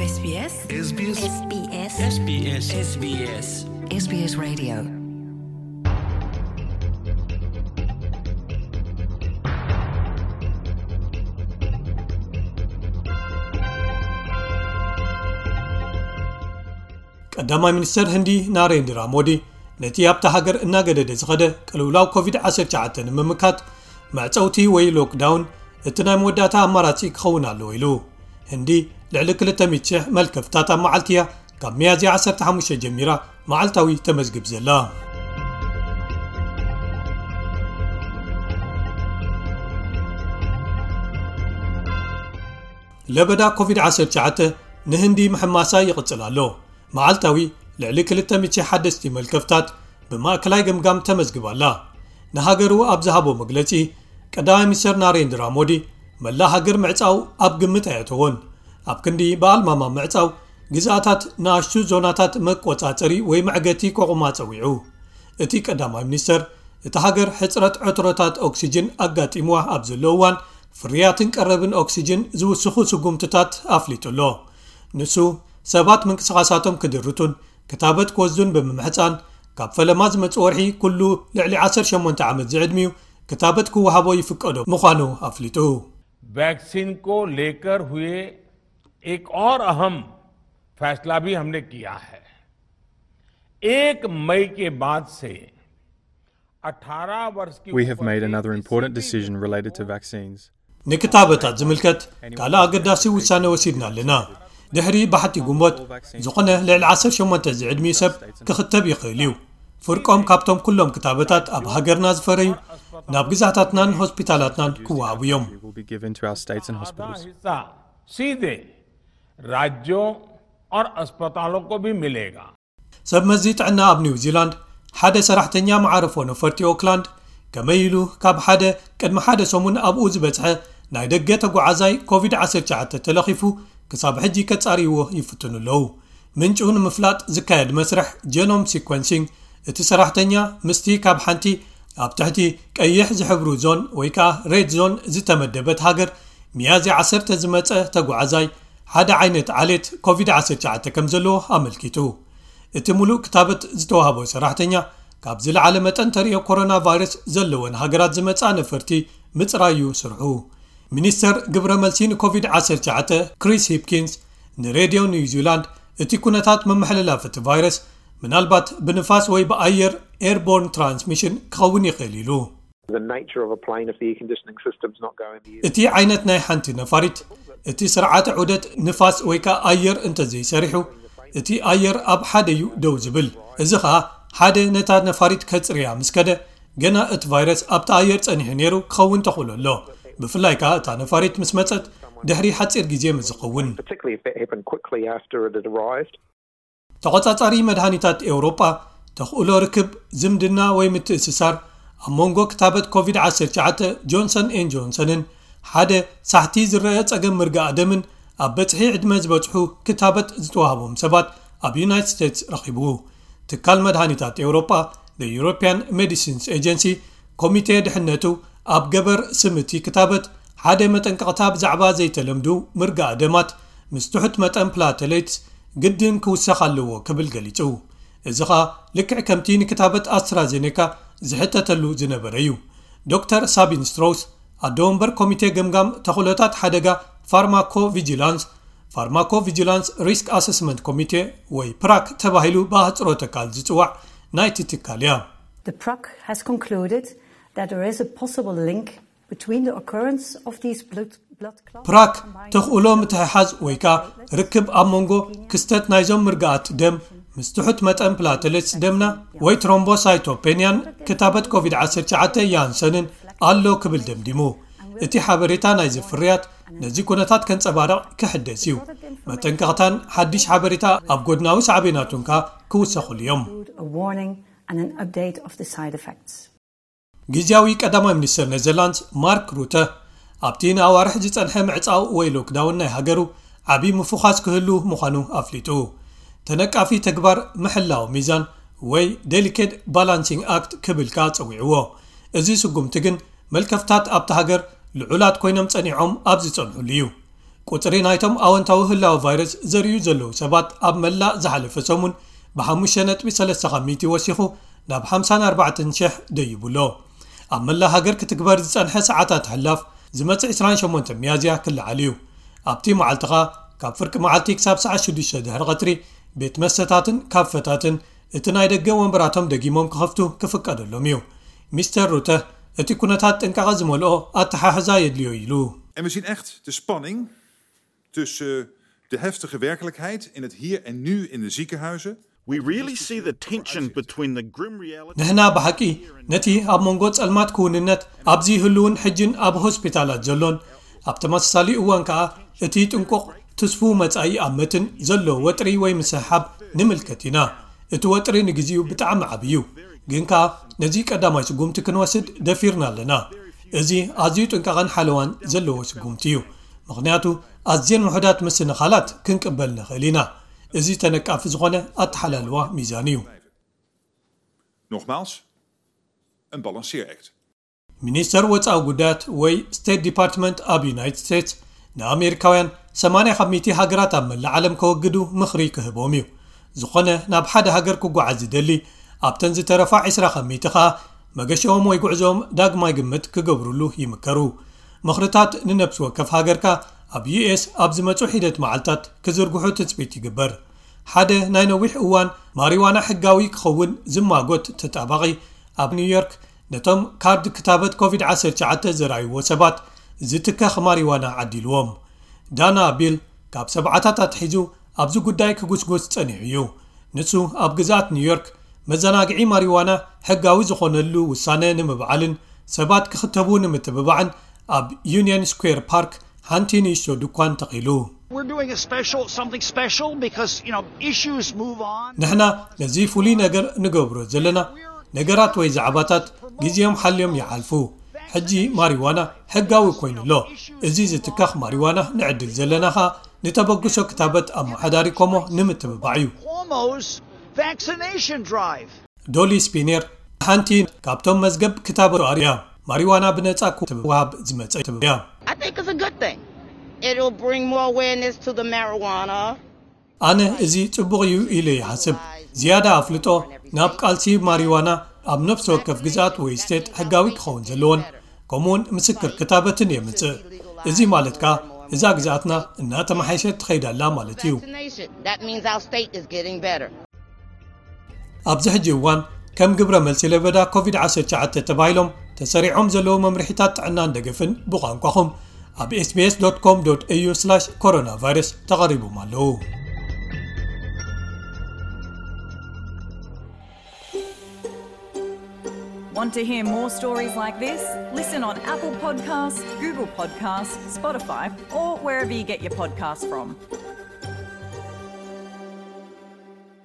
SBS SBS SBS SBS SBS Radio. ቀዳማይ ሚኒስተር ህንዲ ናሬንድራ ሞዲ ነቲ ኣብታ ሃገር እናገደደ ዝኸደ ቅልውላው ኮቪድ ዓሰርተ ትሽዓተ ንምምካት መዕጸውቲ ወይ ሎክዳውን እቲ ናይ መወዳእታ ኣማራጺ ክኸውን ኣለዎ ኢሉ። ህንዲ ልዕሊ ክልተ ሚእቲ ሽሕ መልከፍታት ኣብ መዓልቲ እያ ካብ ሚያዝያ ዓሰርተ ሓሙሽተ ጀሚራ መዓልታዊ ተመዝግብ ዘላ። ለበዳ ኮቪድ ዓሰርተ ትሽዓተ ንህንዲ ምሕማሳ ይቕጽል ኣሎ። መዓልታዊ ልዕሊ ክልተ ሚእቲ ሓደስቲ መልከፍታት ብማእከላይ ገምጋም ተመዝግባ ኣላ። ንሃገሩ ኣብ ዝሃቦ መግለጺ፣ ቀዳማይ ሚኒስተር ናሬንድራ ሞዲ፣ መላ ሃገር ምዕጻው ኣብ ግምት ኣየእተዎን። ኣብ ክንዲ ብኣልማማ ምዕጻው፣ ግዝኣታት ንኣሽቱ ዞናታት መቆጻጸሪ ወይ መዕገቲ ከቑማ ጸዊዑ። እቲ ቀዳማይ ሚኒስተር፣ እታ ሃገር ሕጽረት ዕትሮታት ኦክሲጅን ኣጋጢምዋ ኣብ ዘሎ እዋን፣ ፍርያትን ቀረብን ኦክሲጅን ዝውስኹ ስጉምትታት ኣፍሊጡ ኣሎ። ንሱ፣ ሰባት ምንቅስቓሳቶም ክድርቱን ክታበት ክወስዱን ብምምሕጻን፣ ካብ ፈለማ ዝመጽእ ወርሒ ኩሉ ልዕሊ ዓሰርተ ሸሞንተ ዓመት ዝዕድሚኡ ክታበት ክወሃቦ ይፍቀዶ ምዃኑ ኣፍሊጡ። वैक्सीन को लेकर हुए एक और अहम फैसला भी हमने किया है। एक मई के बाद से अठारह वर्ष की We have उम्र made के another किसी important भी decision व्यक्ति related to को vaccines. ንክታበታት ዝምልከት ካልእ ኣገዳሲ ውሳነ ወሲድና ኣለና። ድሕሪ ባሕቲ ግንቦት፣ ዝኾነ ልዕሊ ዓሰርተ ሸሞንተ ዝዕድሚኡ ሰብ ክኽተብ ይኽእል እዩ። ፍርቆም ካብቶም ኩሎም ክታበታት ኣብ ሃገርና ዝፈረዩ ናብ ግዛታትናን ሆስፒታላትናን ክወሃቡ እዮም። Will be given to our states and hospitals. हिस्सा सीधे राज्यों और अस्पतालों को भी मिलेगा। ሰብ መዚ ጥዕና ኣብ ኒውዚላንድ፣ ሓደ ሰራሕተኛ መዓርፎ ነፈርቲ ኦክላንድ ከመይ ኢሉ ካብ ሓደ ቅድሚ ሓደ ሰሙን ኣብኡ ዝበጽሐ ናይ ደገ ተጓዓዛይ ኮቪድ ዓሰርተ ትሽዓተ ተለኺፉ ክሳብ ሕጂ ከጻርይዎ ይፍትኑ ኣለዉ። ምንጩ ንምፍላጥ ዝካየድ መስርሕ ጀኖም ሲኮንሲንግ፣ እቲ ሰራሕተኛ ምስቲ ካብ ሓንቲ ኣብ ትሕቲ ቀይሕ ዝሕብሩ ዞን ወይ ከኣ ሬድ ዞን ዝተመደበት ሃገር ሚያዝያ ዓሰርተ ዝመጸ ተጓዓዛይ ሓደ ዓይነት ዓሌት ኮቪድ ዓሰርተ ትሽዓተ ከም ዘለዎ ኣመልኪቱ። እቲ ሙሉእ ክታበት ዝተዋህቦ ሰራሕተኛ ካብ ዝለዓለ መጠን ተርእዮ ኮሮና ቫይረስ ዘለወን ሃገራት ዝመጻ ነፈርቲ ምጽራዩ ስርሑ። ሚኒስተር ግብረ መልሲ ንኮቪድ ዓሰርተ ትሽዓተ ክሪስ ሂፕኪንስ ንሬድዮ ኒውዚላንድ እቲ ኩነታት መመሓላለፊ እቲ ቫይረስ ምናልባት ብንፋስ ወይ ብኣየር ኤርቦርን ትራንስሚሽን ክኸውን ይኽእል ኢሉ። The nature of a plane, if the air conditioning system's not going, the እቲ ዓይነት ናይ ሓንቲ ነፋሪት እቲ ስርዓተ ዑደት ንፋስ ወይ ከኣ ኣየር እንተዘይሰሪሑ እቲ ኣየር ኣብ ሓደ እዩ ደው ዝብል። እዚ ኸኣ ሓደ ነታ ነፋሪት ከጽርያ ምስ ከደ ገና እቲ ቫይረስ ኣብቲ ኣየር ጸኒሑ ነይሩ ክኸውን ተኽእሎ ኣሎ። ብፍላይ ከኣ እታ ነፋሪት ምስ መጸት ድሕሪ ሓጺር ግዜ ምስ ዝኸውን። Particularly if that happened quickly after it had arrived. ተቖጻጻሪ መድሃኒታት ኤውሮጳ ተኽእሎ ርክብ ዝምድና ወይ ምትእስሳር ኣብ መንጎ ክታበት ኮቪድ ዓሰርተ ትሽዓተ ጆንሰን ኤን ጆንሰንን ሓደ ሳሕቲ ዝረአ ጸገም ምርጋእ ደምን ኣብ በጽሒ ዕድመ ዝበጽሑ ክታበት ዝተዋህቦም ሰባት ኣብ ዩናይትድ ስቴትስ ረኺቡ። ትካል መድሃኒታት ኤውሮጳ፣ The European Medicines Agency፣ ኮሚቴ ድሕነቱ ኣብ ገበር ስምቲ ክታበት ሓደ መጠንቀቕታ ብዛዕባ ዘይተለምዱ ምርጋእ ደማት ምስ ትሑት መጠን ፕላተሌትስ ግድን ክውሰኽ ኣለዎ ክብል ገሊጹ። እዚ ኸኣ ልክዕ ከምቲ ንክታበት ኣስትራዜኔካ ዝሕተተሉ ዝነበረ እዩ። ዶክተር ሳቢን ስትሮውስ፣ ኣዶ ወንበር ኮሚቴ ገምጋም ተኽእሎታት ሓደጋ ፋርማኮ ቪጂላንስ፣ ፋርማኮ ቪጂላንስ ሪስክ ኣሰስመንት ኮሚቴ ወይ ፕራክ ተባሂሉ ብኣህጽሮተ ቃል ዝጽዋዕ ናይቲ ትካል እያ። The PRAC has concluded that there is a possible link between the occurrence of these blood, blood clots ፕራክ ተኽእሎ ምትሕሓዝ ወይ ከኣ ርክብ ኣብ መንጎ ክስተት ናይዞም ምርጋኣት ደም ምስ ትሑት መጠን ፕላተሌትስ ደምና ወይ ትሮምቦሳይቶፔንያን ክታበት ኮቪድ ዓሰርተ ትሽዓተ ያንሰንን ኣሎ ክብል ደምዲሙ። እቲ ሓበሬታ ናይዚ ፍርያት ነዚ ኩነታት ከንጸባርቕ ክሕደስ እዩ። መጠንቀቕታን ሓድሽ ሓበሬታ ኣብ ጎድናዊ ሳዕቤናቱን ከኣ ክውሰኹሉ እዮም። A warning and an update of the side effects. ግዝያዊ ቀዳማይ ሚኒስተር ኔዘርላንድስ ማርክ ሩተ ኣብቲ ንኣዋርሕ ዝጸንሐ ምዕጻው ወይ ሎክዳውን ናይ ሃገሩ ዓቢ ምፉኻስ ክህሉ ምዃኑ ኣፍሊጡ። ተነቃፊ ተግባር ምሕላው ሚዛን ወይ ዴሊኬት ባላንሲንግ ኣክት ክብል ከኣ ጸዊዕዎ። እዚ ስጉምቲ ግን መልከፍታት ኣብቲ ሃገር ልዑላት ኮይኖም ጸኒዖም ኣብ ዝጸንሑሉ እዩ። ቁጽሪ ናይቶም ኣወንታዊ ህላወ ቫይረስ ዘርእዩ ዘለዉ ሰባት ኣብ መላእ ዝሓለፈ ሰሙን ብ5.3% ወሲኹ ናብ ሓምሳን ኣርባዕተን ሽሕ ደይቡ ኣሎ። ኣብ መላእ ሃገር ክትግበር ዝጸንሐ ሰዓታት ሕላፍ ዝመጽእ ዕስራን ሸሞንተን ሚያዝያ ክለዓል እዩ። ኣብቲ መዓልቲ ኸኣ ካብ ፍርቂ መዓልቲ ክሳብ ሰዓት ሽዱሽተ ድሕሪ ቀትሪ ቤት መስተታትን ካፈታትን እቲ ናይ ደገ ወንበራቶም ደጊሞም ክኸፍቱ ክፍቀደሎም እዩ። ሚስተር ሩተ እቲ ኩነታት ጥንቃቐ ዝመልኦ ኣተሓሕዛ የድልዮ ኢሉ። En we zien echt de spanning tussen de heftige werkelijkheid in het hier en nu in de ziekenhuizen. We really see the tension between the grim reality. ንሕና ብሓቂ ነቲ ኣብ መንጎ ጸልማት ክውንነት ኣብዚ ህልውን ሕጅን ኣብ ሆስፒታላት ዘሎን ኣብ ተመሳሳሊ እዋን ከኣ እቲ ጥንቁቕ ትስፉ መጻኢ ኣብ መትን ዘሎ ወጥሪ ወይ ምስሕሓብ ንምልከት ኢና። እቲ ወጥሪ ንግዜኡ ብጣዕሚ ዓቢ እዩ፣ ግን ከኣ ነዚ ቀዳማይ ስጉምቲ ክንወስድ ደፊርና ኣለና። እዚ ኣዝዩ ጥንቃቐን ሓለዋን ዘለዎ ስጉምቲ እዩ፣ ምኽንያቱ ኣዝየን ውሑዳት ምስንኻላት ክንቅበል ንኽእል ኢና። እዚ ተነቃፊ ዝኾነ ኣተሓላልዋ ሚዛን እዩ። Nogmaals, een balanceeract. ሚኒስተር ወጻኢ ጉዳያት ወይ ስቴት ዲፓርትመንት ኣብ ዩናይትድ ስቴትስ ንኣሜሪካውያን ሰማንያ ካብ ሚእቲ ሃገራት ኣብ መላእ ዓለም ከወግዱ ምኽሪ ክህቦም እዩ። ዝኾነ ናብ ሓደ ሃገር ክጓዓዝ ዝደሊ ኣብተን ዝተረፋ ዕስራ ካብ ሚእቲ ኸኣ መገሽኦም ወይ ጉዕዞኦም ዳግማይ ግምት ክገብሩሉ ይምከሩ። ምኽርታት ንነብሲ ወከፍ ሃገርካ ኣብ ዩኤስ ኣብ ዝመጹ ሒደት መዓልታት ክዝርግሑ ትጽቢት ይግበር። ሓደ ናይ ነዊሕ እዋን ማሪዋና ሕጋዊ ክኸውን ዝማጎት ተጣባቒ ኣብ ኒውዮርክ ነቶም ካርድ ክታበት ኮቪድ ዓሰርተ ትሽዓተ ዘርኣይዎ ሰባት ዝትከኽ ማሪዋና ዓዲልዎም። ዳና ቢል ካብ ሰብዓታት ኣትሒዙ ኣብዚ ጉዳይ ክጉስጉስ ጸኒሑ እዩ። ንሱ ኣብ ግዝኣት ኒውዮርክ መዘናግዒ ማሪዋና ሕጋዊ ዝኾነሉ ውሳነ ንምብዓልን ሰባት ክኽተቡ ንምትብባዕን ኣብ ዩኒየን ስኩዌር ፓርክ ሓንቲ ንእሽቶ ድኳን ተኺሉ። We're doing a special, something special because, you know, issues move on. ንሕና ነዚ ፍሉይ ነገር ንገብሮ ዘለና ነገራት ወይ ዛዕባታት ግዜኦም ሓልዮም ይሓልፉ። ሕጂ ማሪዋና ሕጋዊ ኮይኑ ኣሎ። እዚ ዝትካኽ ማሪዋና ንዕድል ዘለና ኸኣ ንተበግሶ ክታበት ኣመሓዳሪ ኮሞ ንምትብባዕ እዩ። Cuomo's vaccination drive. ዶሊ ስፒኔር ሓንቲ ካብቶም መዝገብ ክታበት እያ። ማሪዋና ብነጻ ክትወሃብ ዝመጸ ትብያ። I think it's a good thing. It'll bring more awareness to the marijuana. ኣነ እዚ ጽቡቕ እዩ ኢለ ይሓስብ። ዝያዳ ኣፍልጦ ናብ ቃልሲ ማሪዋና ኣብ ነፍሲ ወከፍ ግዝኣት ወይ ስቴት ሕጋዊ ክኸውን ዘለዎን ከምኡውን ምስክር ክታበትን የምጽእ። እዚ ማለት ከኣ እዛ ግዝኣትና እናተመሓየሸት ትኸይድ ኣላ ማለት እዩ። Vaccination. That means our state is getting better. ኣብዚ ሕጂ እዋን ከም ግብረ መልሲ ለበዳ ኮቪድ ዓሰርተ ትሽዓተ ተባሂሎም ተሰሪዖም ዘለዉ መምርሒታት ጥዕናን ደገፍን ብቋንቋኹም ኣብ ኤስቢኤስ ዶት ኮም ዶት ኤዩ ስላሽ ኮሮና ቫይረስ ተቐሪቦም ኣለዉ። Want to hear more stories like this? Listen on Apple Podcasts, Google Podcasts, Spotify, or wherever you get your podcasts from.